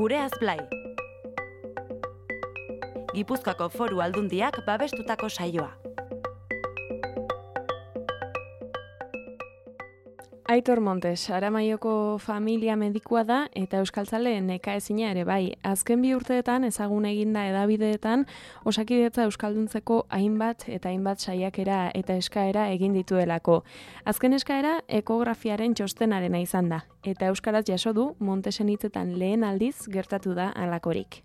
Gureaz Blai. Gipuzkoako Foru Aldundiak babestutako saioa. Aitor Montes, Aramaioko familia medikua da eta euskaltzale nekaezina ere bai. Azken 2 urteetan ezagun eginda hedabideetan Osakidetza euskalduntzeko hainbat saiakera eta eskaera egin dituelako. Azken eskaera ekografiaren txostenarena izan da eta euskaraz jaso du Montesen hitzetan lehen aldiz gertatu da halakorik.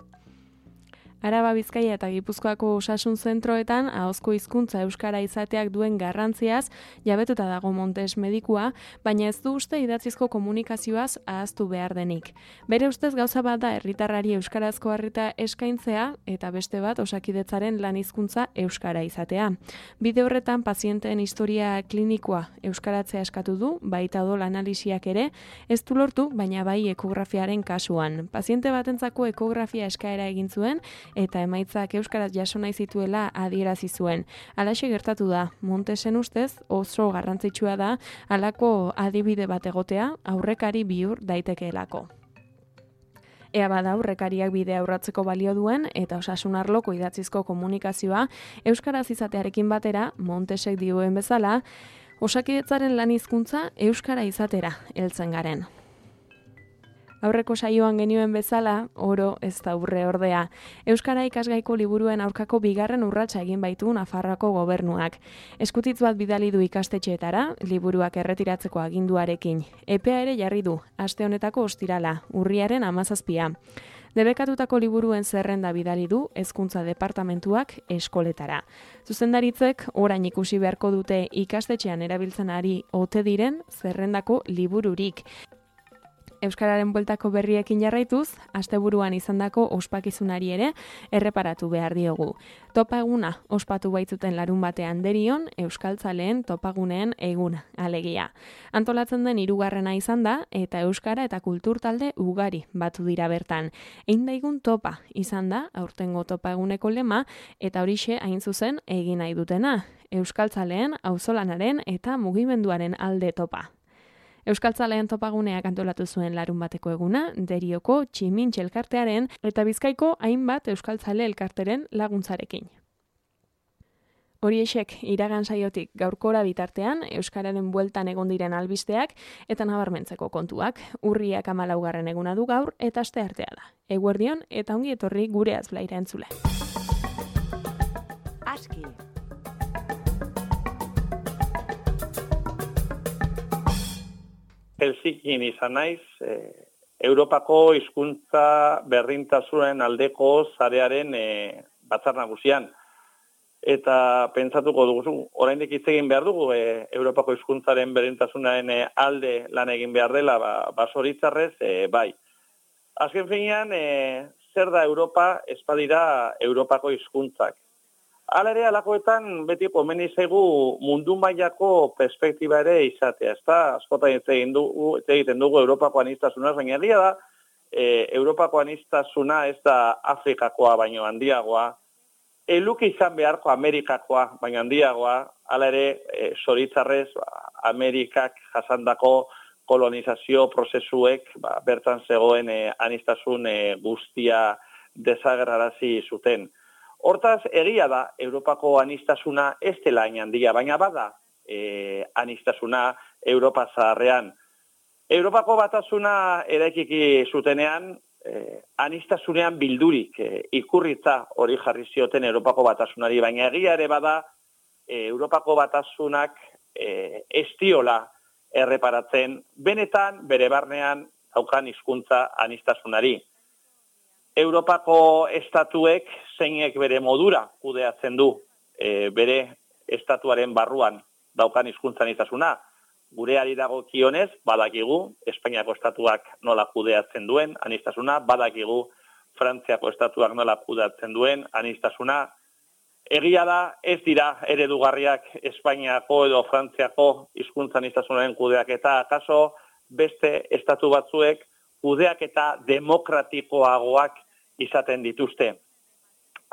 Araba, Bizkaia eta Gipuzkoako osasun zentroetan ahozko hizkuntza euskara izateak duen garrantziaz jabetuta dago Montes medikua, baina ez du uste idatzizko komunikazioaz ahaztu behar denik. Bere ustez gauza bat da herritarrari euskarazko arreta eskaintzea eta beste bat Osakidetzaren lan hizkuntza euskara izatea. Bide horretan pazienteen historia klinikoa euskaratzea eskatu du, baita odol analisiak ere, ez du lortu, baina bai ekografiaren kasuan. Paziente batentzako ekografia eskaera egin zuen eta emaitzak euskaraz jaso nahi zituela adierazi zuen. Halaxe gertatu da, Montesen ustez oso garrantzitsua da halako adibide bat egotea aurrekari bihur daitekeelako. Ea bada aurrekariak bidea urratzeko balio duen eta osasun arloko idatzizko komunikazioa euskaraz izatearekin batera, Montesek dioen bezala, Osakidetzaren lan hizkuntza euskara izatera heltzen garen. Aurreko saioan genioen bezala, oro ez da urre ordea. Euskara ikasgaiko liburuen aurkako 2. urratsa egin baitu Nafarroako gobernuak. Eskutitz bat bidali du ikastetxeetara, liburuak erretiratzeko aginduarekin. Epea ere jarri du, aste honetako ostirala, urriaren 17. Debekatutako liburuen zerrenda bidali du Hezkuntza Departamentuak eskoletara. Zuzendaritzek orain ikusi beharko dute ikastetxean erabiltzen ari ote diren zerrendako libururik. Euskararen bueltako berriekin jarraituz, asteburuan izandako ospakizunari ere erreparatu behar diogu. Topa eguna ospatu baitzuten larun batean derion euskaltzaleen topaguneen eguna, alegia. Antolatzen den 3. izan da eta euskara eta kultur talde ugari batu dira bertan. Egin daigun topa izan da aurtengo topa eguneko lema eta horixe hain zuzen egin nahi dutena. Euskaltzaleen, auzolanaren eta mugimenduaren alde topa. Euskaltzaleen topaguneak antolatu zuen larun bateko eguna, Derioko Tximintxe elkartearen eta Bizkaiko hainbat euskaltzale elkarteren laguntzarekin. Horiexek iragan saiotik gaurkora bitartean, euskararen bueltan egon diren albisteak eta nabarmentzeko kontuak. Urriak 14. eguna du gaur eta asteartea da. Eguerdion eta ongi etorri Gureaz Blaira entzule. Aski. Helsinkin izan naiz, Europako hizkuntza berdintasunen aldeko sarearen batzar nagusian. Eta pentsatuko dugu, oraindik hitz egin behar dugu, Europako hizkuntzaren berdintasunaren alde lan egin behar dela, basoritzarrez, bai. Azken finean, zer da Europa, ez badira Europako hizkuntzak. Hala ere, alakoetan beti komeni zaigu mundu mailako perspektiba ere izatea. Ez da, askotan hitz egiten dugu Europako aniztasunaz, baina egia da, Europako aniztasuna ez da Afrikakoa baino handiagoa, luke izan beharko Amerikakoa baino handiagoa, hala ere, zoritzarrez, Amerikak jasandako kolonizazio prozesuek bertan zegoen aniztasun guztia desagerrarazi zuten. Hortaz, egia da, Europako aniztasuna ez dela hain handia, baina bada aniztasuna Europa zaharrean. Europako batasuna eraikiki zutenean, aniztasunean bildurik ikurritza hori jarri zioten Europako batasunari, baina egia ere bada, Europako batasunak ez diola erreparatzen, benetan bere barnean daukan hizkuntza aniztasunari. Europako estatuek zeinek bere modura kudeatzen du bere estatuaren barruan daukan hizkuntza aniztasuna. Gureari dagokionez, badakigu, Espainiako estatuak nola kudeatzen duen aniztasuna, badakigu Frantziako estatuak nola kudeatzen duen aniztasuna. Egia da, ez dira eredugarriak Espainiako edo Frantziako hizkuntza aniztasunaren kudeaketa, akaso beste estatu batzuek kudeaketa demokratikoagoak izaten dituzte.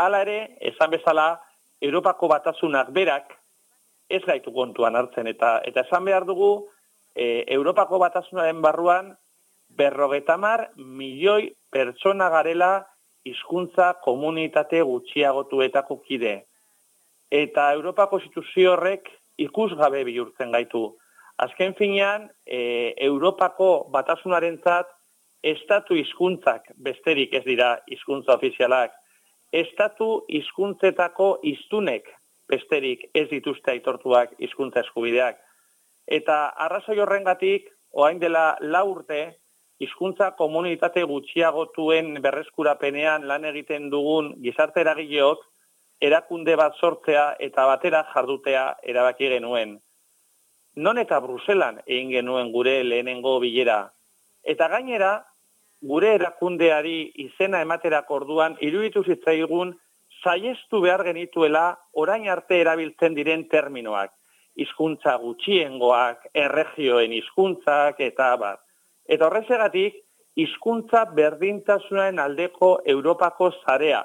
Hala ere, esan bezala, Europako batasunak berak ez gaitu kontuan hartzen eta esan behar dugu Europako batasunaren barruan 50 milioi pertsona garela hizkuntza komunitate gutxiagotuetako kide. Eta Europako instituzio horrek ikusgabe bihurtzen gaitu. Azken finean, Europako batasunarentzat estatu hizkuntzak besterik ez dira hizkuntza ofizialak. Estatu hizkuntzetako hiztunek besterik ez dituzte aitortuak hizkuntza eskubideak. Eta arrazoi horrengatik, orain dela 4 urte, hizkuntza komunitate gutxiagotuen berreskurapenean lan egiten dugun gizarte eragileok erakunde bat sortzea eta batera jardutea erabaki genuen. Non eta Bruselan egin genuen gure lehenengo bilera. Eta gainera, gure erakundeari izena ematerako orduan iruditu zitzaigun saihestu behar genituela orain arte erabiltzen diren terminoak. Hizkuntza gutxiengoak, erregioen hizkuntzak eta abar. Eta horrezegatik, hizkuntza berdintasunaren aldeko Europako sarea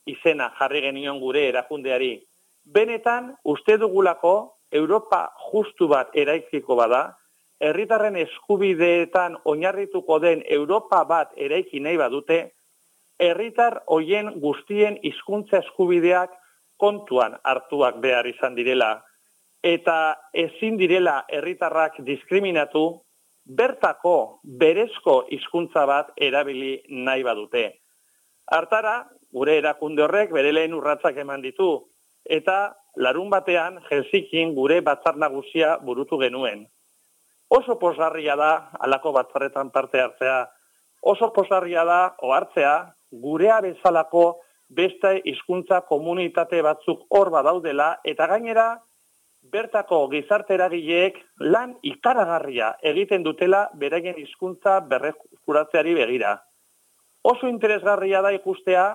izena jarri genion gure erakundeari. Benetan, uste dugulako Europa justu bat eraikiko bada, herritarren eskubideetan oinarrituko den Europa bat eraiki nahi badute, herritar hoien guztien hizkuntza eskubideak kontuan hartuak behar izan direla, eta ezin direla herritarrak diskriminatu, bertako berezko hizkuntza bat erabili nahi badute. Hartara, gure erakunde horrek bere lehen urratsak eman ditu, eta larun batean Helsinkin gure batzar nagusia burutu genuen. Oso pozgarria da halako batzarretan parte hartzea. Oso pozgarria da ohartzea gurea bezalako beste hizkuntza komunitate batzuk hor badaudela eta gainera bertako gizarte eragileek lan ikaragarria egiten dutela beraien hizkuntza berreskuratzeari begira. Oso interesgarria da ikustea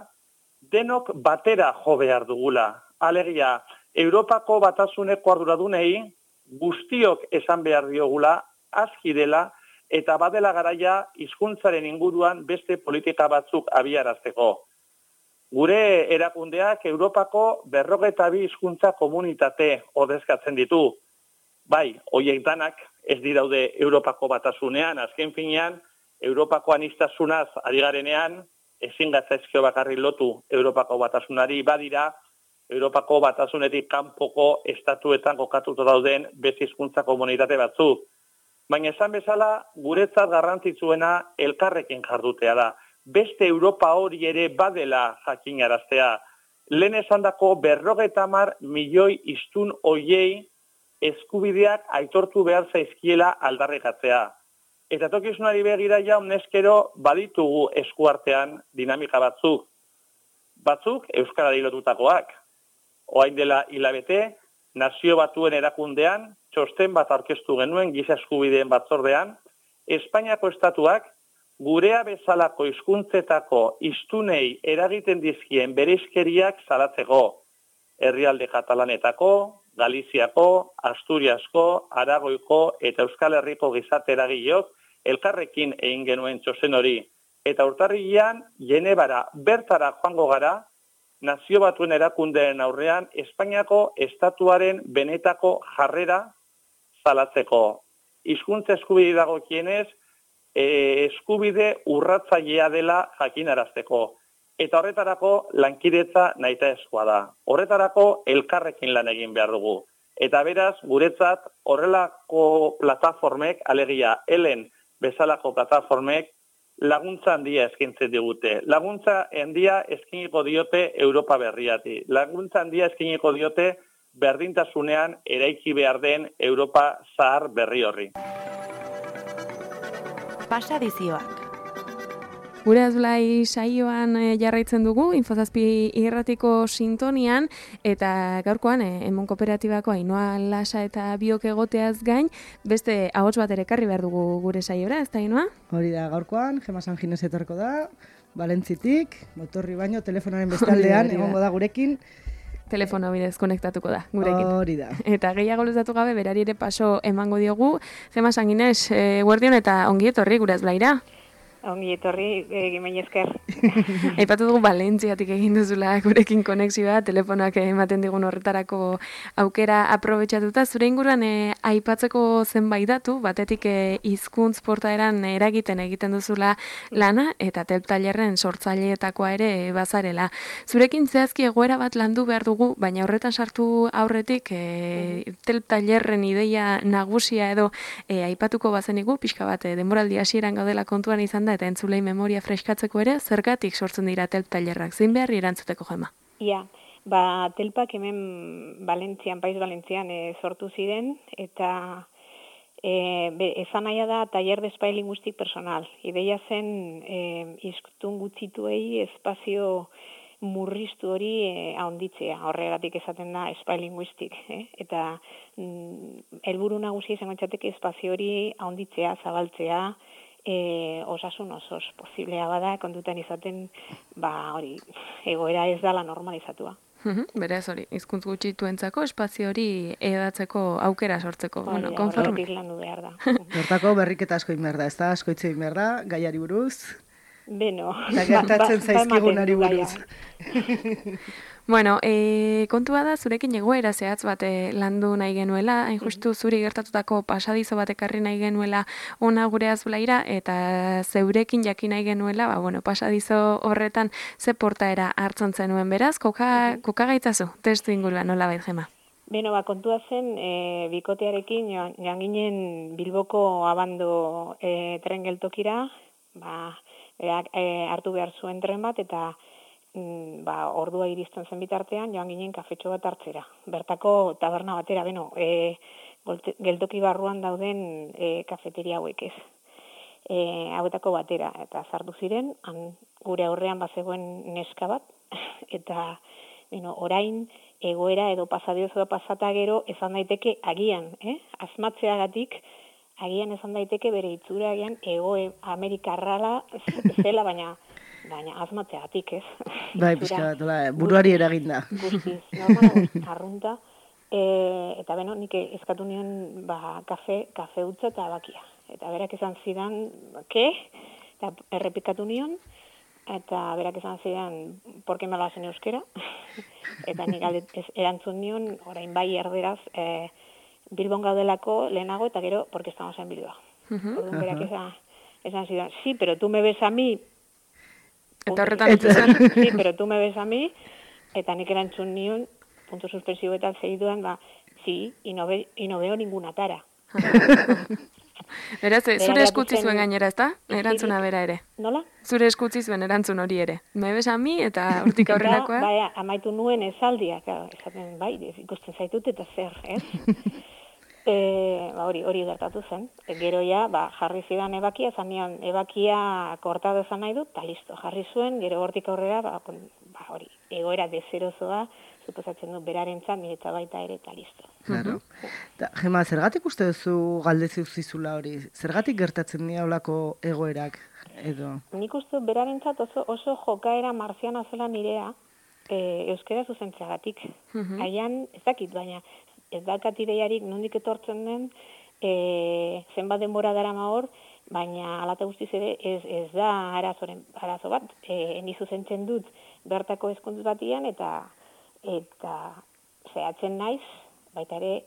denok batera jo behar dugula. Alegia, Europako batasuneko arduradunei guztiok esan behar diogula, aski dela, eta badela garaia hizkuntzaren inguruan beste politika batzuk abiarazteko. Gure erakundeak Europako 52 hizkuntza komunitate ordezkatzen ditu. Bai, horiek danak ez diraude Europako batasunean, azken finean, Europako anistasunaz ari garenean, ezin gatzaizkio bakarri lotu Europako batasunari badira, Europako batasunetik kanpoko estatuetan kokatuta dauden beste hizkuntza komunitate batzuk. Baina esan bezala, guretzat garrantzitsuena elkarrekin jardutea da. Beste Europa hori ere badela jakinaraztea. Lehen esandako 50 milioi hiztun hoiei eskubideak aitortu behar zaizkiela aldarrikatzea. Eta tokizunari begira jaun neskero baditugu eskuartean dinamika batzuk. Batzuk euskarari lotutakoak. Orain dela hilabete, Nazio Batuen erakundean, txosten bat aurkeztu genuen giza eskubideen batzordean, Espainiako estatuak gurea bezalako hizkuntzetako hiztunei eragiten dizkien bereizkeriak salatzeko. Herrialde katalanetako, Galiziako, Asturiasko, Aragoiko eta Euskal Herriko gizarte eragileok elkarrekin egin genuen txosten hori. Eta urtarrilean, Genebara bertara joango gara, Nazio Batuen erakundeen aurrean Espainiako estatuaren benetako jarrera salatzeko. Hizkuntza eskubide dagokienez, eskubide urratzailea dela jakinarazteko. Eta horretarako lankidetza nahitaezkoa da. Horretarako elkarrekin lan egin behar dugu. Eta beraz, guretzat horrelako plataformek, alegia Elen bezalako plataformek, laguntza handia eskaintzen digute. Laguntza handia eskainiko diote Europa berriati. Laguntza handia eskainiko diote berdintasunean eraiki behar den Europa zahar berri horri. Pasadizioak. Gure Azblai saioan jarraitzen dugu, Infozazpi irratiko sintonian, eta gaurkoan Emon Kooperatibako Ainhoa Lasa eta biok egoteaz gain, beste ahots bat ere ekarri behar dugu gure saiora, ez da Ainhoa? Hori da, gaurkoan, Gema San Ginez etorko da, Valentzitik, motorri baino, telefonaren bestaldean, egongo da gurekin. Telefono bidez konektatuko da gurekin. Hori da. Eta gehiago luzatu gabe, berari ere paso emango diogu. Gema San Ginez, guardion eta ongi etorri gure Azblaira. Ongi etorri, gimen esker. Aipatu dugu Valentziatik egin duzula gurekin konexioa, telefonoak ematen digun horretarako aukera aprobetxatuta. Zure inguruan aipatzeko zenbait datu, batetik hizkuntz portaeran eragiten egiten duzula lana, eta telp tailerren sortzaileetakoa ere bazarela. Zurekin zehazki egoera bat landu behar dugu, baina horretan sartu aurretik telp tailerren ideia nagusia edo aipatuko bazenigu, pixka bat denboraldi hasieran gaudela kontuan izan da, eta entzulei memoria freskatzeko ere, zergatik sortzen dira telp tailerrak, zein beharri erantzuteko, Jema? Ia, telpak hemen Paiz Valentzian sortu ziren, eta esan nahi da taller de espai linguistik personal. Ideia zen hiztun gutxituei espazio murriztu hori ahonditzea, horregatik esaten da espai linguistik, eta helburu nagusia izango litzateke espazio hori ahonditzea, zabaltzea, osasun osoz posiblea bada, kontutan izaten, hori, egoera ez dala normalizatua. Beraz hori, hizkuntz gutxituentzako espazio hori edatzeko aukera sortzeko. Horregatik landu behar da. Hortako berriketa asko behar da, ez da, asko hitz egin behar da, gaiari buruz. Beno. Eta gertatzen zaizkigunari buruz. Bueno, kontua da zurekin egoera zehatz bat landu nahi genuela, hain justu zuri gertatutako pasadizo bat ekarri nahi genuela ona gure azulaira, eta zeurekin jakin nahi genuela, pasadizo horretan ze portaera hartzen zenuen beraz, koka gaitzazu, testu inguruan nola bait, Jema? Beno, kontua zen, bikotearekin joan ginen Bilboko abando tren geltokira, hartu behar zuen tren bat, eta ordua iristen zen bitartean, joan ginen kafetxo bat hartzera. Bertako taberna batera, geltoki barruan dauden kafeteria hauek ez. Hauetako batera, eta sartu ziren, gure aurrean bazegoen neska bat, eta orain egoera edo pasadiozoa pasata gero esan daiteke agian, asmatzeagatik, agian esan daiteke bere itzura agian Amerikarrala zela, baina asmatzeagatik, ez? Bai, pixka bat, buruari eraginda. Guztiz, normala, arrunta. Eta nik eskatu nion kafe utza eta bakia. Eta berak esan zidan, eta errepikatu nion, eta berak esan zidan, porke me lo hacen euskera? Eta nik erantzun nion, orain bai erderaz, Bilbon gaudelako lehenago, eta gero, porque estamos en Bilbao. Orduan berak esan zidan, sí, pero tú me ves a mí. Eta horretan etzizan. Sí, pero tú me ves a mí, eta nik erantzun nion, punto suspensibo eta segiduan, sí, y no veo ninguna tara. Beraz, zure eskutzi zuen gainera, ezta? Erantzuna bera ere. Nola? Zure eskutzi zuen erantzun hori ere. Me bes a mi eta hortik aurrerakoa. Bai, amaitu nuen esaldia, esaten bai, ikusten zaitut eta zer, ez? Hori gertatu zen. Gero ja, jarri zidan ebakia, zanean ebakia kortado zan nahi dut, eta listo, jarri zuen, gero hortik aurrera, hori, egoera dezerozoa, suposatzen du berarentzat, niretza baita ere, eta listo. Claro. Jema, zergatik uste duzu galdezi uzizula hori? Zergatik gertatzen dira olako egoerak edo? Nik uste berarentzat oso jokaera marziana zela nirea, euskera zuzentzeagatik. Haian, ez dakit, baina ez dakat ideiarik nondik etortzen den, zenbat denbora darama hor, baina alata guztiz ere ez da arazo bat. Ni zuzentzen dut bertako hezkuntza batian, eta zehatzen naiz, baita ere,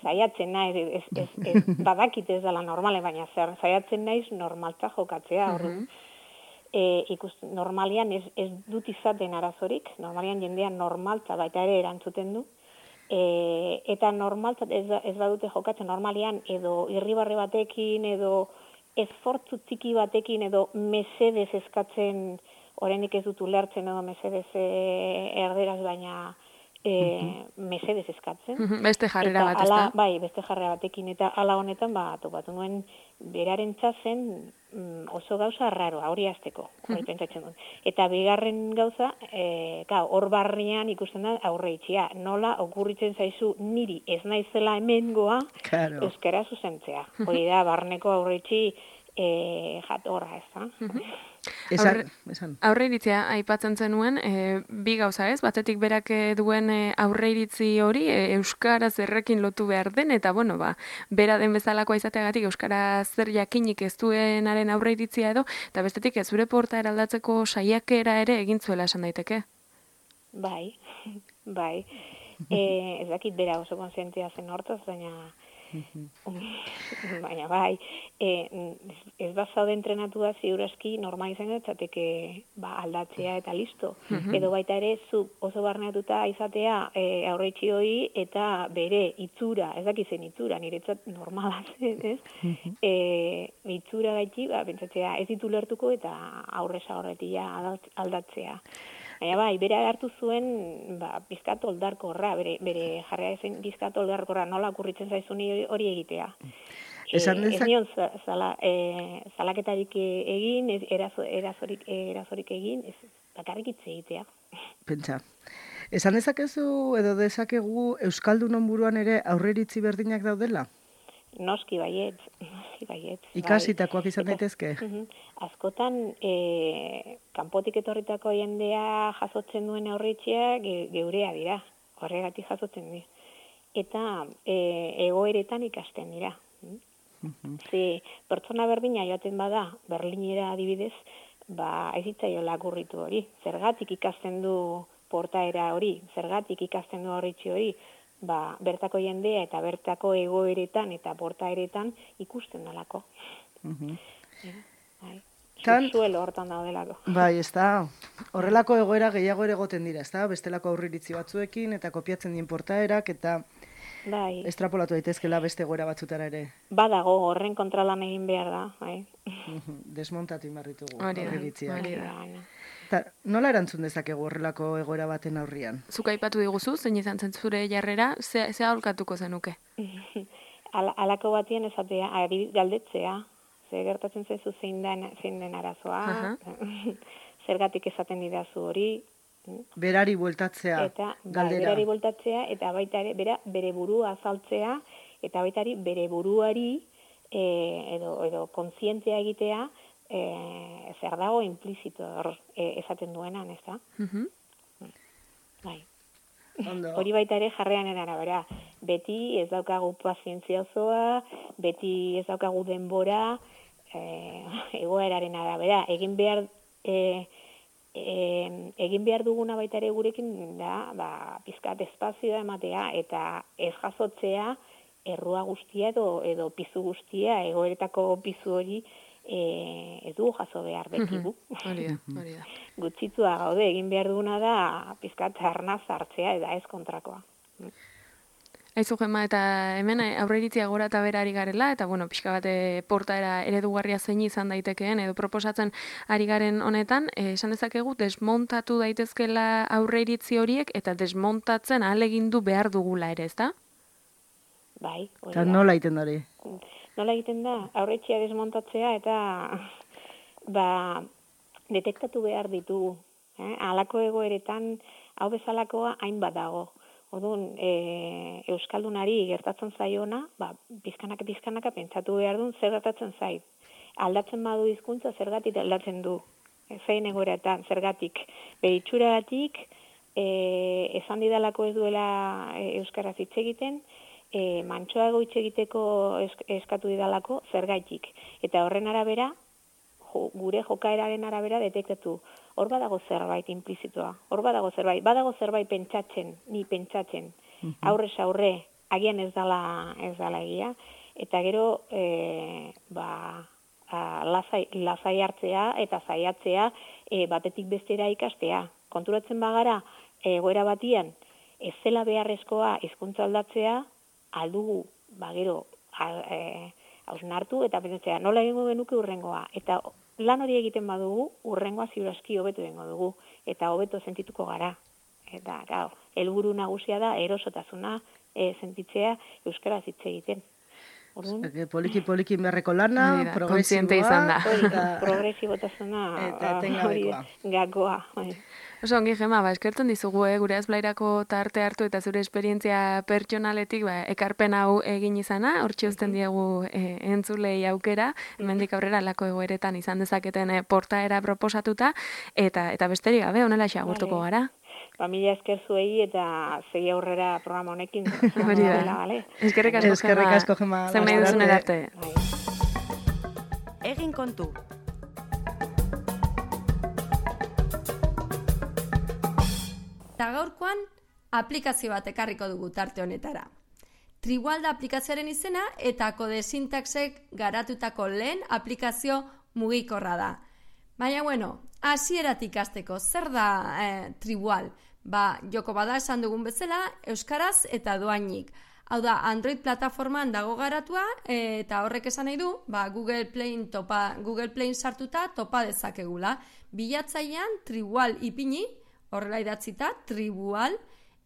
zaiatzen naiz, badakit ez dela normale, baina zaiatzen naiz normaltza jokatzea, orduan. Normalian ez dut izaten arazorik, normalian jendean normaltza baita ere erantzuten du, eta normaltzat ez badute jokatzen normalian, edo irribarre batekin, edo esfortzu txiki batekin, edo mesedez eskatzen, oraindik ez dut ulertzen edo mesedez erderaz, baina mesedez eskatzen. Beste jarrera bat, ez da? Bai, beste jarrera batekin, eta ala honetan, topatu nuen berarentza zen oso gauza raroa, hori azteko, hori pentsatzen dut. Eta bigarren gauza, hor barrian ikusten da aurre itxia. Nola okurritzen zaizu niri ez naizela hemengoa euskara zuzentzea. Hori da, barneko aurre itxi jatorra, ez da? Esan. Aurreiritzia aipatzen zenuen, bi gauza ez, batetik berak duen aurreiritzi hori, euskaraz errekin lotu behar den, eta bueno, bera den bezalakoa izateagatik euskaraz zer jakinik ez duenaren aurreiritzia edo, eta bestetik ez zure portaera aldatzeko saiakera ere egin zuela esan daiteke. Bai. Ez dakit bera oso konsientia zen hortaz, baina bai, ez bazaude entrenatua ziurazki normal izango etzateke aldatzea eta listo. Edo baita ere zu oso barneatuta izatea aurreitzi hori eta bere itzura, ez dakit zen itzura, niretzat normala zen, ez? Itzura gaiti, pentsatzea ez ditu lertuko eta aurreza horretia aldatzea. Baina bai, bere hartu zuen bizkat oldarkorra, bere jarria ezen bizkat oldarkorra, nola okurritzen zaizun hori egitea. Ez nion zalaketarik egin, erasorik egin, bakarrik hitz egitea. Pentsa. Esan dezakezu edo dezakegu Euskaldunon buruan ere aurreiritzi berdinak daudela? Noski baietz. Ikasitakoak izan daitezke? Askotan, kanpotik etorritako jendea jasotzen duen aurreitzia geurea dira, horregatik jasotzen dira. Eta egoeretan ikasten dira. Pertsona berdina joaten bada, Berlinera adibidez, ez hitzaio lakurritu hori. Zergatik ikasten du portaera hori, zergatik ikasten du aurreitzi hori, bertako jendea eta bertako egoeretan eta portaeretan ikusten dalako. Zuelo hortan daudelako. Bai, ez da. Horrelako egoera gehiago ere egoten dira, ez da? Bestelako aurreiritzi batzuekin eta kopiatzen dien portaerak eta estrapolatu daitezkela beste egoera batzutara ere. Badago, horren kontralan egin behar da. Desmontatu inbarritugu aurreiritzia. Nola erantzun dezakegu horrelako egoera baten aurrian? Zuk aipatu diguzu, zein izan zen zure jarrera, ze aholkatuko zenuke? Alako batien esatea, galdetzea, ze gertatzen zaizu zein den arazoa, zergatik esaten didazu hori. Berari bueltatzea, galdera. Berari bueltatzea, eta baita ere, bere burua azaltzea, eta baita bere buruari, edo kontzientzia egitea, zer dago implizito esaten duenan, ez da? Bai. Hori baita ere jarrean arabera. Beti ez daukagu pazientzia osoa, beti ez daukagu denbora, egoeraren arabera. Egin behar duguna baita ere gurekin da, pizkat espazioa ematea, eta ez jasotzea errua guztia edo pizu guztia, egoeretako pizu hori, ez dugu jaso behar bekigu. Hori da. Gutxitua gaude, egin behar duguna da pizkat arnaz hartzea eta ez kontrakoa. Aizu Gema, eta hemen aurreiritzia gora eta bera ari garela, eta pixka bat portaera eredugarria zein izan daitekeen, edo proposatzen ari garen honetan, esan dezakegu desmontatu daitezkela aurreiritzi horiek, eta desmontatzen ahalegindu behar dugula ere, ezta? Bai, hori da. Eta nola egiten hori? Nola egiten da, aurreitzia desmontatzea eta detektatu behar ditugu. Halako egoeretan, hau bezalakoa hainbat dago. Orduan, Euskaldunari gertatzen zaiona, pizkanaka pentsatu behar duen zer gertatzen zait. Aldatzen badu hizkuntza zergatik aldatzen du. Zein egoeretan, zergatik. Beritxuragatik, esan didalako ez duela euskaraz hitz egiten, mantsoago hitz egiteko eskatu didalako zergaitik. Eta horren arabera, gure jokaeraren arabera detektatu. Hor badago zerbait implizitoa. Hor badago zerbait pentsatzen. Aurrez aurre, agian ez dala egia. Eta gero, lasai hartzea eta saiatzea batetik bestera ikastea. Konturatzen bagara, egoera batian, ez zela beharrezkoa hizkuntza aldatzea, aldugu, gero, hausnartu eta pentsatzea, nola egingo genuke urrengoa. Eta lan hori egiten badugu, urrengoa ziurazki hobetu egingo dugu, eta hobeto sentituko gara. Eta, helburu nagusia da, erosotasuna sentitzea euskaraz hitz egiten. Poliki beharreko lana, progresiboa. Progresibotasuna, eta etengabekoa. Gakoa. Oso ongi, Gema, eskertzen dizugu, gure azblairako tarte hartu eta zure esperientzia pertsonaletik ekarpen hau egin izana, hortxe uzten diegu entzulei aukera, hemendik aurrera lako egoeretan izan dezaketen portaera proposatuta, eta besterik gabe, honela xagurtuko gara. Mila esker zuei eta segi aurrera programa honekin. Eskerrik asko, Gema. Zer nahi duzun erarte. Egin kontu. Eta gaurkoan, aplikazio bat ekarriko dugu tarte honetara. Triwal da aplikazioaren izena eta kode sintaxek garatutako lehen aplikazio mugikorra da. Baina, hasieratik hasteko, zer da Triwal? Joko bada esan dugun bezala, euskaraz eta doainik. Hau da, Android plataformaan dago garatua, eta horrek esan nahi du, Google Playn sartuta topa dezakegula. Bilatzailean Triwal ipini, horrela idatzita, Triwal,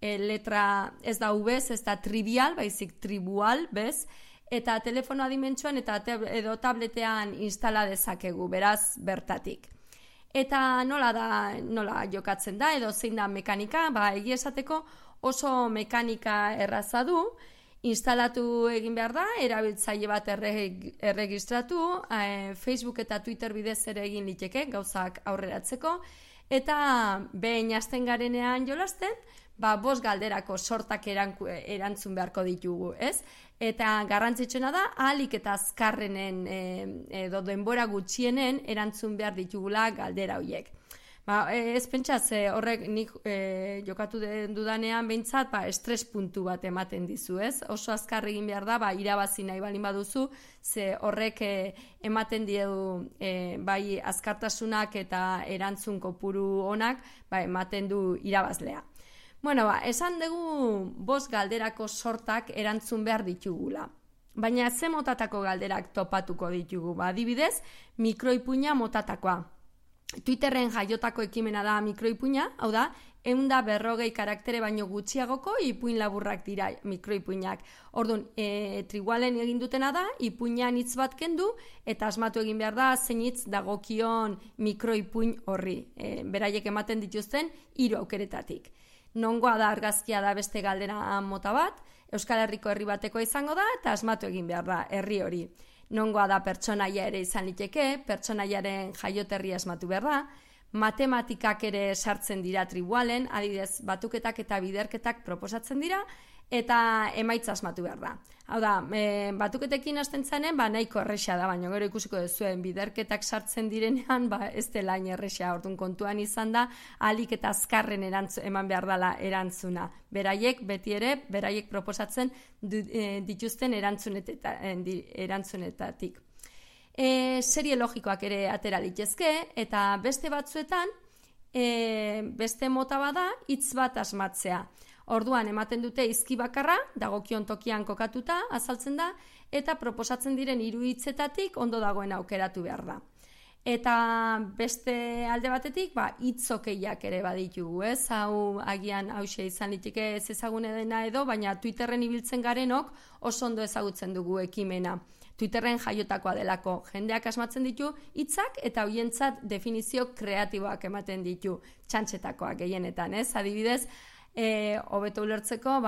letra ez da ubez, ez da trivial, baizik Triwal, bez, eta telefonoa dimentsuan edo tabletean instala dezakegu, beraz, bertatik. Eta nola jokatzen da, edo zein da mekanika, egia esateko oso mekanika erraza du, instalatu egin behar da, erabiltzaile bat erregistratu, Facebook eta Twitter bidez ere egin liteke, gauzak aurreratzeko, eta behin hasten garenean jolasten, 5 galderako sortak erantzun beharko ditugu, ez? Eta garrantzitsuena da, ahalik eta azkarrenen edo denbora gutxienen erantzun behar ditugula galdera horiek. Ez pentsaz, horrek nik jokatu dudanean behintzat, estres puntu bat ematen dizu, ez? Oso azkar egin behar da, irabazi nahi balin baduzu, ze horrek ematen diedu bai azkartasunak eta erantzun kopuru onak, ematen du irabazlea. Esan dugu 5 galderako sortak erantzun behar ditugula. Baina ze motatako galderak topatuko ditugu? Adibidez, mikroipuina motatakoa. Twitterren jaiotako ekimena da mikroipuina, hau da, 140 karaktere baino gutxiagoko ipuin laburrak dira mikroipuinak. Orduan, Triwalen egin dutena da, ipuinan hitz bat kendu, eta asmatu egin behar da, zein hitz dagokion mikroipuin horri. Beraiek ematen dituzten 3 aukeretatik. Nongoa da argazkia da beste galdera mota bat, Euskal Herriko herri bateko izango da, eta asmatu egin behar da herri hori. Nongoa da pertsonaia ere izan liteke, pertsonaiaren jaioterria asmatu behar da, matematikak ere sartzen dira Triwalen, adibidez batuketak eta biderketak proposatzen dira, eta emaitza asmatu behar da. Hau da, batuketekin hasten zanen, nahiko erresa da, baina gero ikusiko duzuen biderketak sartzen direnean, ez dela erresa, orduan kontuan izan da, ahalik eta azkarren eman behar dela erantzuna. Beraiek, beti ere, beraiek proposatzen dituzten erantzunetatik. Serie logikoak ere atera litezke, eta beste batzuetan, beste mota bada, hitz bat asmatzea. Orduan ematen dute hizki bakarra, dagokion tokian kokatuta, azaltzen da, eta proposatzen diren 3 hitzetatik ondo dagoen aukeratu behar da. Eta beste alde batetik, hitzokeiak ere baditugu, ez? Hau agian hauxe izan liteke ez ezagune dena edo, baina Twitterren ibiltzen garenok oso ondo ezagutzen dugu ekimena. Twitterren jaiotakoa delako, jendeak asmatzen ditu hitzak eta hoientzat definizio kreatiboak ematen ditu, txantxetakoak gehienetan, ez? Adibidez, hobeto ulertzeko,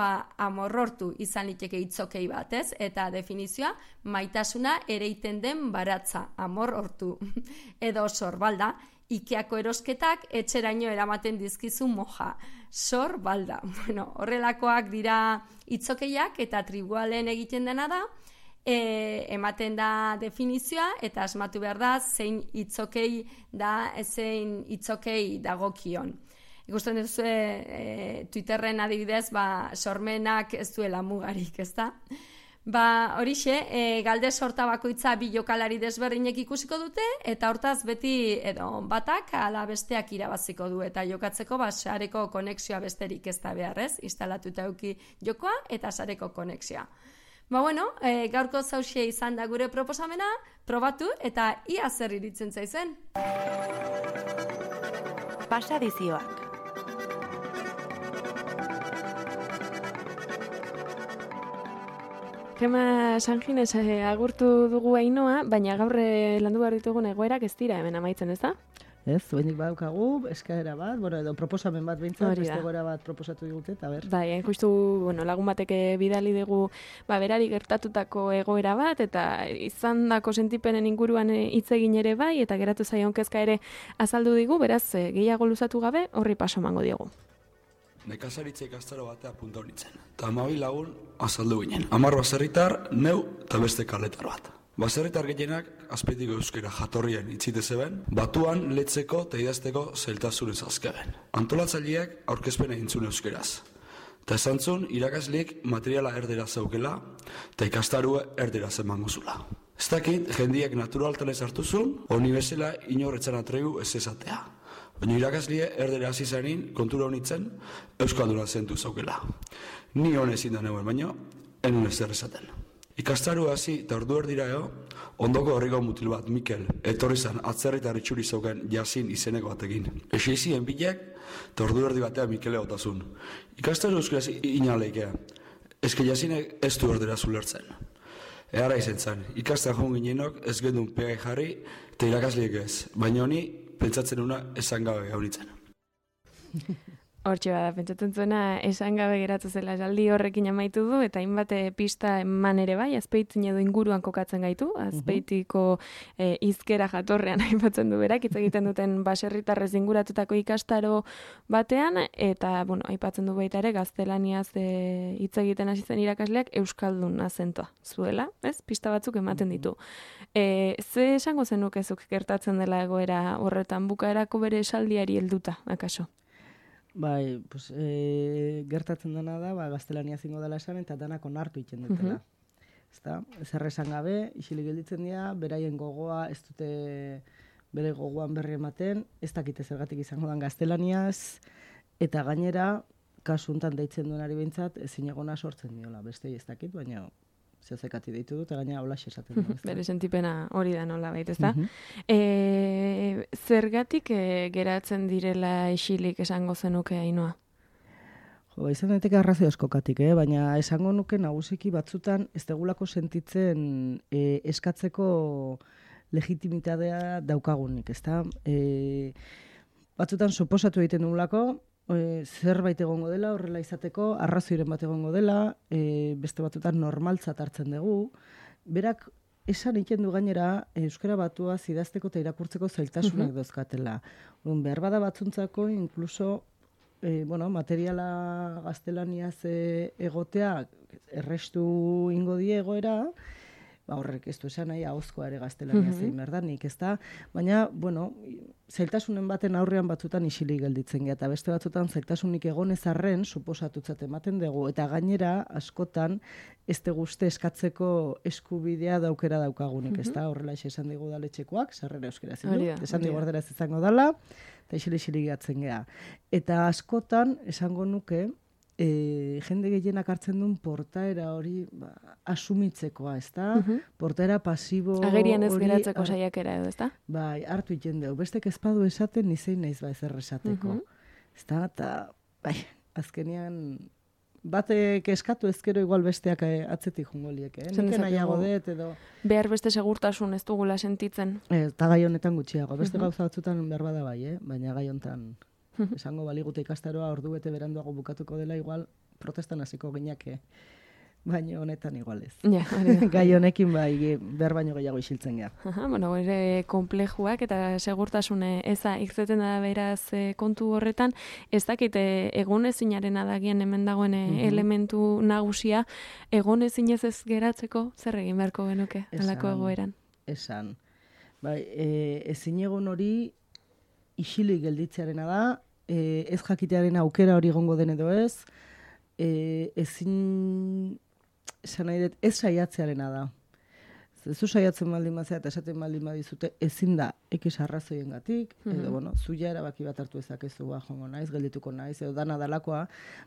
amorrortu izan liteke hitzokei bat, ez? Eta definizioa, maitasuna ereiten den baratza, amorrortu. Edo sorbalda, Ikeako erosketak etxeraino eramaten dizkizu moja. Sorbalda. Horrelakoak dira hitzokeiak eta Triwalen egiten dena da, ematen da definizioa eta asmatu behar da zein hitzokei da, zein hitzokei dagokion. Ikusten duzu Twitterren adibidez, sormenak ez duela mugarik, ez da? Horixe, galde sorta bakoitza 2 jokalari desberdinek ikusiko dute, eta hortaz beti edo batak ala besteak irabaziko du, eta jokatzeko sareko konexioa besterik ez da behar, ez? Instalatuta eduki jokoa eta sareko konexioa. Gaurko zauxe izan da gure proposamena, probatu eta ia zer iritzen zaizen. Pasadizioak. Gema Sanginez agurtu dugu Ainoa, baina gaur landu behar ditugun egoerak ez dira hemen amaitzen, ez da? Ez, behindik badaukagu, eskaera bat, edo proposamen bat behintzat, beste egoera bat proposatu digute, eta ber. Bai, justu, lagun batek bidali dugu berari gertatutako egoera bat, eta izandako sentipenen inguruan hitz egin ere bai, eta geratu zaion kezka ere azaldu digu, beraz, gehiago luzatu gabe, horri paso emango diogu. Nekazaritza ikastaro batea punta honitzen. Eta 12 lagun azaldu ginen. 10 baserritar, neu eta beste kaletar bat. Baserritar gehienak azpeitiko euskera jatorrien itzite zeben, batuan letzeko eta idazteko zailtasunez azkeben. Antolatzaileak aurkezpena intzun euskeraz. Eta esantzun, irakasleek materiala erdera zeukela eta ikastarue erdera zemango zula. Ez dakit, jendiak naturaltanez hartuzun, honi bezala inorretzan atregu ez ezatea. Baina irakaslie erdera hasi zanin, kontura honitzen, euskalduna zentu zaukela. Ni honezin da neuen, baina enun ez esaten. Ikastaru hasi eta ordu erdira ondoko horriko mutil bat, Mikel, etorri zan atzerritar itxuri zauken Jasin izeneko batekin. Esizien bilek, eta ordu erdi batean Mikele otazun. Ikastaru euskaraz inaleikea. Ezke Jasinek ez du erdera zulertzen. Eara izen zen, ikastan joan ginenok ez gendun pegai jarri, eta irakasliek ez. Baina honi, pentsatzen una esan gabe gaunitzen. Hortxe bada, pentsatzen zuena esan gabe geratu zela esaldi horrekin amaitu du, eta hainbat pista eman ere bai, Azpeitin edo inguruan kokatzen gaitu, Azpeitiko hizkera jatorrean aipatzen du berak, hitz egiten duten baserritarrez inguratutako ikastaro batean, eta, aipatzen du baita ere, gaztelaniaz hitz egiten hasi zen irakasleak euskaldun azentoa zuela, ez? Pista batzuk ematen ditu. Ze esango zenukezuk gertatzen dela egoera horretan, bukaerako bere esaldiari helduta, akaso? Bai, gertatzen dena da, gaztelania zingo dela esan, eta danak onartu iten dutela. Zer esan gabe, isilik gelditzen dira, beraien gogoa, ez dute bere gogoan berri ematen, ez dakite zergatik izango dan gaztelaniaz, eta gainera, kasu hontan deitzen duenari behintzat, ezin egona sortzen diola, beste ez dakit, baina zehazekati deitu dut, eta gainera holaxe esaten du. Bere sentipena hori da nola baita, ez da? Zergatik geratzen direla isilik esango zenuke Ainoa? Izan daiteke arrazio askokatik, baina esango nuke nagusiki batzutan ez degulako sentitzen eskatzeko legitimitatea daukagunik, ez da? Batzutan suposatu egiten dugulako, zerbait egongo dela, horrela izateko, arrazoiren bat egongo dela, beste batzutan normaltzat hartzen dugu. Berak esan egiten du gainera, euskara batua idazteko eta irakurtzeko zailtasunak dauzkatela. Behar bada batzuntzako, inkluso, materiala gaztelaniaz egotea, errestu ingo die egoera, horrek ez du esan nahi ahozkoa ere gaztelania zein berdanik, ez da? Baina, zailtasunen baten aurrean batzutan isilik gelditzen geha, eta beste batzutan zailtasunik egonez arren suposatutzat ematen dugu, eta gainera askotan ez guzti eskatzeko eskubidea daukera daukagunik, ez da? Horrela esan digu daletxekoak, sarrera euskera zindu, esan digu erderaz izango dala, eta isilik gehatzen geha. Eta askotan, esango nuke, jende gehienak hartzen duen portaera hori asumitzekoa, ez da? Portaera pasibo hori... Agerian ez geratzeko saiakera edo, ez da? Bai, hartu iten dugu. Bestek ezpadu esaten, nizein naiz ezer esateko. Ez da, eta, azkenian, batek eskatu ezkero igual besteak atzetik jungo lieke. Nik nahiago dut edo... Behar beste segurtasun ez dugula sentitzen. Eta gai honetan gutxiago. Beste gauza batzutan behar bada bai, baina gai honetan... Esango baligute ikastaroa ordu bete beranduago bukatuko dela, igual protestan hasiko ginake, baina honetan igual ez. Gai honekin behar baino gehiago isiltzen geha. Ere komplejuak eta segurtasune eza irtzeten da beraz kontu horretan, ez dakit egonezinaren adagian hemen dagoen elementu nagusia, egonezinez ez geratzeko zer egin beharko genuke halako egoeran? Esan. Ezin egon hori isilik gelditzearena da, ez jakitearen aukera hori gongo den edo ez, ezin, esan nahi dut, ez saiatzearena da. Zu saiatzen baldin bazea eta esaten baldin badizute, ezin da ekiz arrazoien gatik, edo, zuia erabaki bat hartu ezakezu, jongo naiz, geldituko naiz, edo dana dalakoa,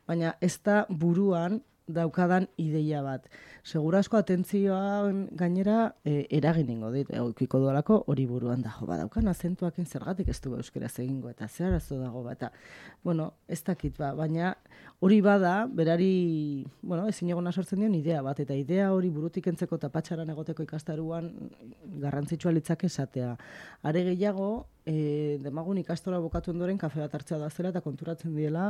baina ez da buruan daukadan ideia bat. Segurazko atentzioa gainera eraginingo dit, eukiko dualako hori buruan da, badaukan azentuakin zergatik ez du euskeraz egingo, eta zer arazo dago bat, eta, ez dakit baina hori bada, berari, ezin egona sortzen dion idea bat, eta idea hori burutik entzeko eta patxaran egoteko ikastaruan garrantzitsua litzak esatea. Are gehiago, demagun ikastora bukatu ondoren kafe bat hartzea da zela eta konturatzen diela,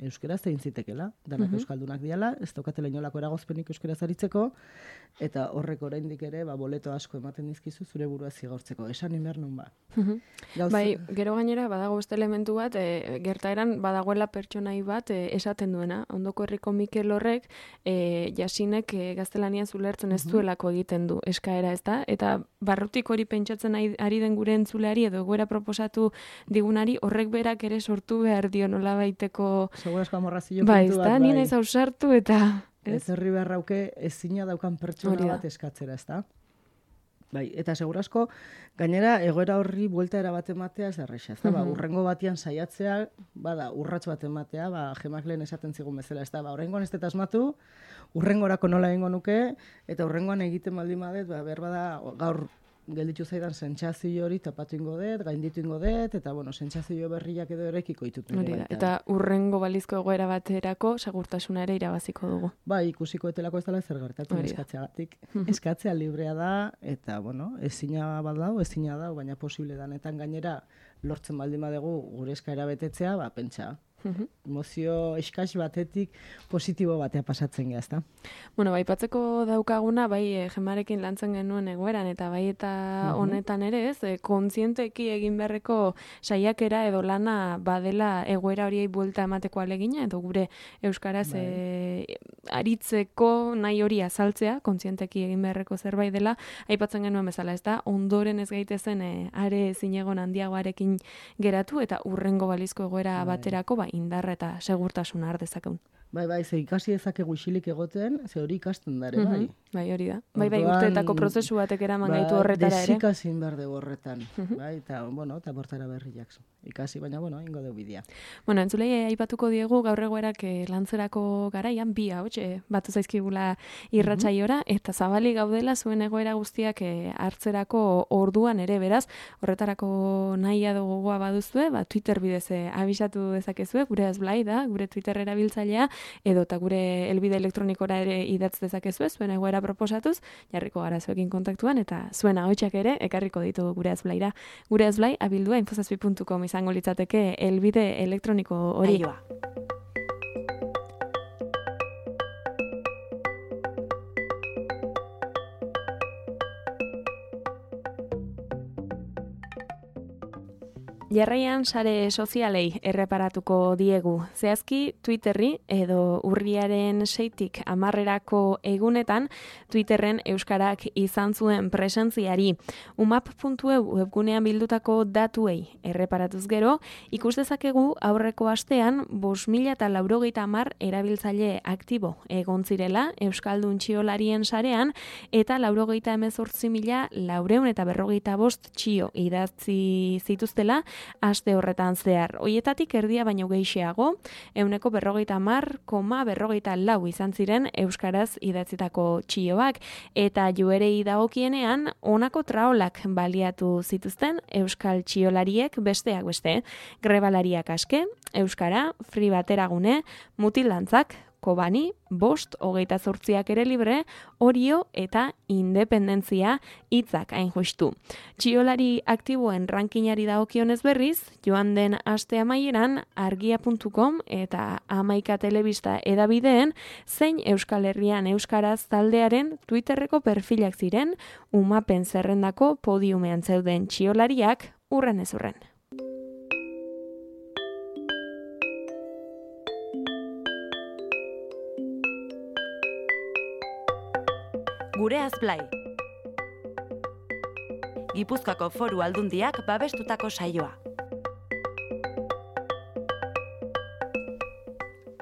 euskeraz egin zitekela, danak euskaldunak diala, ez daukatela inolako eragozpenik euskeraz aritzeko, eta horrek oraindik ere, boleto asko ematen dizkizu zure burua zigortzeko. Esan inber nun ba. Bai, gero gainera badago beste elementu bat, gertaeran badagoela pertsonai bat esaten duena. Ondoko herriko Mikel horrek, Jasinek gaztelaniaz ulertzen ez duelako egiten du eskaera, ez da? Eta barrutik hori pentsatzen ari den gure entzuleari edo egoera proposatu digunari, horrek berak ere sortu behar dio nolabaiteko... Segurazko amorrazio bai, puntu bat, bai. Ni naiz ausartu eta... Ez herri beharrauke ezina daukan pertsona bat eskatzera, ez da? Bai, eta segurazko, gainera, egoera horri buelta bat ematea ez erresa, ez da? Urrengo batian saiatzea, urrats bat ematea, Gemak lehen esaten zigun bezala, ez da? Urrengoan ez dut asmatu, urrengorako nola egingo nuke, eta urrengoan egiten baldin badet, berbada gaur gelditu zaidan sentsazio hori tapatu ingo dut, gainditu ingo dut, eta sentsazio berriak edo erekiko ditut. Eta urrengo balizko egoera baterako segurtasuna ere irabaziko dugu. Bai, ikusiko etelako ez dela zer gertatu eskatzeagatik. Eskatzea librea da, eta ezina badau, ezina dau, baina posible danetan gainera lortzen baldin badugu gure eskaera betetzea, pentsa. Emozio eskas batetik positibo batea pasatzen geha, ezta? Baipatzeko daukaguna, Gemarekin lantzen genuen egoeran, eta eta honetan ere ez, kontzienteki egin beharreko saiakera edo lana badela egoera horiei buelta emateko alegina, edo gure euskaraz aritzeko nahi hori azaltzea, kontzienteki egin beharreko zerbait dela, aipatzen genuen bezala, ez da, ondoren ez gaitezen are zinegon handiagoarekin geratu, eta urrengo balizko egoera baterako, indarra eta segurtasuna har dezakegun. Bai, ze ikasi dezakegu isilik egoten, ze hori ikasten dare, bai. Bai, hori da. Bai, urteetako prozesu batek eraman gaitu horretara ere. Desikasin behar dugu horretan, bai, eta bortara berriak ikasi, baina, ingo dugu bidea. Entzulei aipatuko diegu gaur egoerak lantzerako garaian, bi hauts, batu zaizkigula irratsaiora, eta zabali gaudela zuen egoera guztiak hartzerako orduan ere, beraz, horretarako nahia gogoa baduzue, Twitter bidez abisatu dezakezue, gure azblai da, gure Twitter erabiltzailea, edo eta gure helbide elektronikora ere idatz dezakezue, zuen egoera proposatuz, jarriko gara zuekin kontaktuan, eta zuen ahotsak ere ekarriko ditugu gure azblaira. Gure azblai abildua infozazpi.com izango litzateke helbide elektroniko hori. Aioa. Jarraian sare sozialei erreparatuko diegu. Zehazki Twitterri edo urriaren 6tik 10erako egunetan Twitterren euskarak izan zuen presentziari. umap.eu webgunean bildutako datuei erreparatuz gero, ikus dezakegu aurreko astean 5.090 erabiltzaile aktibo egon zirela euskaldun txiolarien sarean eta 98.445 txio idatzi zituztela aste horretan zehar. Hoietatik erdia baino gehixeago, 150,44 izan ziren euskaraz idatzitako txioak, eta joerei dagokienean honako traolak baliatu zituzten euskal txiolariek besteak beste. Grebalariak aske, euskara, free bateragune, mutilantzak, Kobani, 528 ere libre, Orio eta Independentzia hitzak hain justu. Txiolari aktiboen rankingari dagokionez berriz, joan den aste amaieran argia.com eta Amaika Telebista edabideen zein Euskal Herrian euskaraz taldearen Twitterreko perfilak ziren, umapen zerrendako podiumean zeuden txiolariak urren ez urren. Gure azblai. Gipuzkoako Foru Aldundiak babestutako saioa.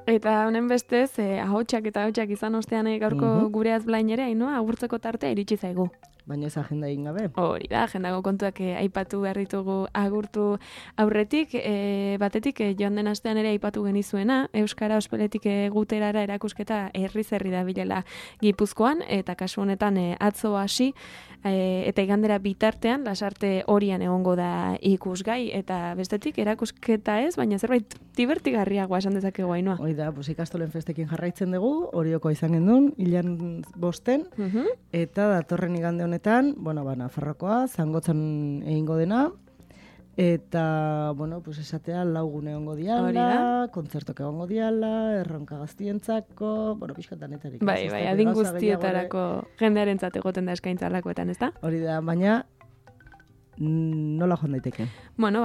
Eta honen bestez, ahotsak eta ahotsak izan ostean gaurko gure azblain ere, agurtzeko tartea iritsi zaigu. baina ez agenda egin gabe. Hori da, agendako kontuak aipatu behar ditugu agurtu aurretik, batetik joan den astean ere aipatu genizuena, Euskara Ospeletik Guterara erakusketa herri da bilela Gipuzkoan, eta kasu honetan atzo hasi, eta igandera bitartean, lasarte horian egongo da ikusgai, eta bestetik erakusketa ez, baina zerbait divertigarriagoa esan dezakegu Ainhoa. Hoi da, ikastolen festekin jarraitzen dugu, Orioko izan gendun, hilan 5, eta datorren igande honetan, Nafarroakoa, Zangotzan egingo dena, eta, esatea, 4 gune egongo diala, kontzertok egongo diala, erronka gaztientzako, pixkatanetarik. Bai, adin guztietarako jendearentzat egoten da eskaintza alakoetan, ez da? Hori da, baina nola joan daiteke?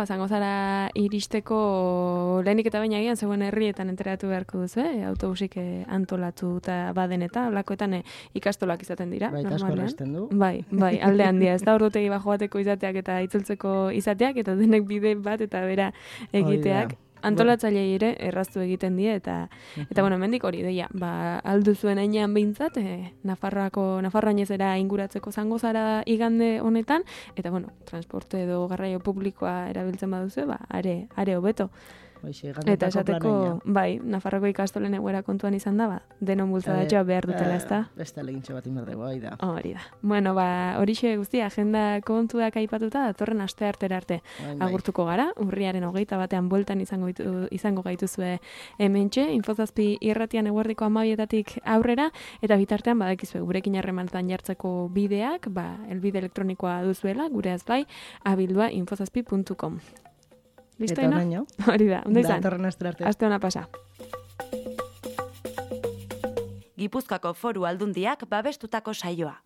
Zangozara iristeko lehenik eta baina egian zegoen herrietan enteratu beharko duzu, autobusik antolatu eta baden eta olakoetan ikastolak izaten dira. Bai, asko erresten du. Bai, alde handia, ez da ordutegi bajo bateko izateak eta itzultzeko izateak, eta denek bide bat eta bera egiteak. Antolatzailei ere erraztu egiten die eta hemendik hori deia, aldu zuen heinean behintzat, Nafarroan ezera inguratzeko Zangozara igande honetan, eta transporte edo garraio publikoa erabiltzen baduzu, are hobeto. Eta esateko, Nafarroko ikastolen egoera kontuan izan da, denon bultzadatxoa behar dutela, ez da? Beste alegintxo bat inberdego, da. Hori da. Horixe guztia, agenda kontuak aipatuta, datorren aste artera arte agurtuko gara, urriaren 21 bueltan izango gaituzue hementxe, Infozazpi irratian eguerdiko 12 aurrera, eta bitartean badakizue gurekin harremanetan jartzeko bideak, helbide elektronikoa duzuela, gure azbai, abildua.infozazpi.com. Listo, eta oraino? Hori da, ondo izan. Datorren aste arte. Aste ona pasa. Gipuzkoako Foru Aldundiak babestutako saioa.